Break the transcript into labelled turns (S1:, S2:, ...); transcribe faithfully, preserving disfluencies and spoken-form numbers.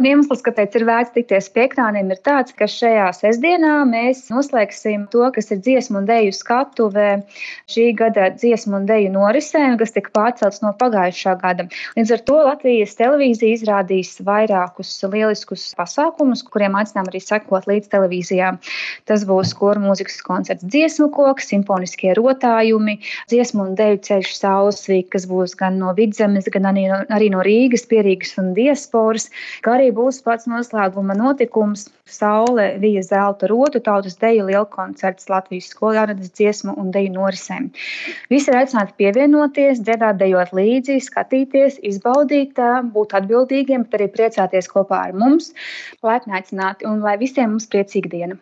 S1: Iemesls, kāpēc ir vērts tikties pie ekrāniem, ir tāds, ka šajā sestdienā mēs noslēgsim to, kas ir dziesmu un deju skatuve šī gada dziesmu un deju norisēm, kas tika pārcelts no pagājušā gada. Līdz ar to Latvijas televīzija izrādīs vairākus lieliskus pasākumus, kuriem aicinām arī sekot līdz televīzijā. Tas būs koru mūzikas koncerts Dziesmu koks, simfoniskie rotājumi, dziesmu un deju ceļš Saulesvīk, kas būs gan no Vidzemes, gan arī no, arī no Rīgas, Pierīgas un diasporas, kā arī būs pats noslēguma notikums Saule vija zelta rotu tautas deju lielkoncerts Latvijas skolārādes dziesmu un deju norisēm. Visi ir aicināti pievienoties, dziedāt, dejot līdzi, skatīties, izbaudīt, būt atbildīgiem, bet arī priecāties kopā ar mums, laipni aicināti un lai visiem mums priecīga diena.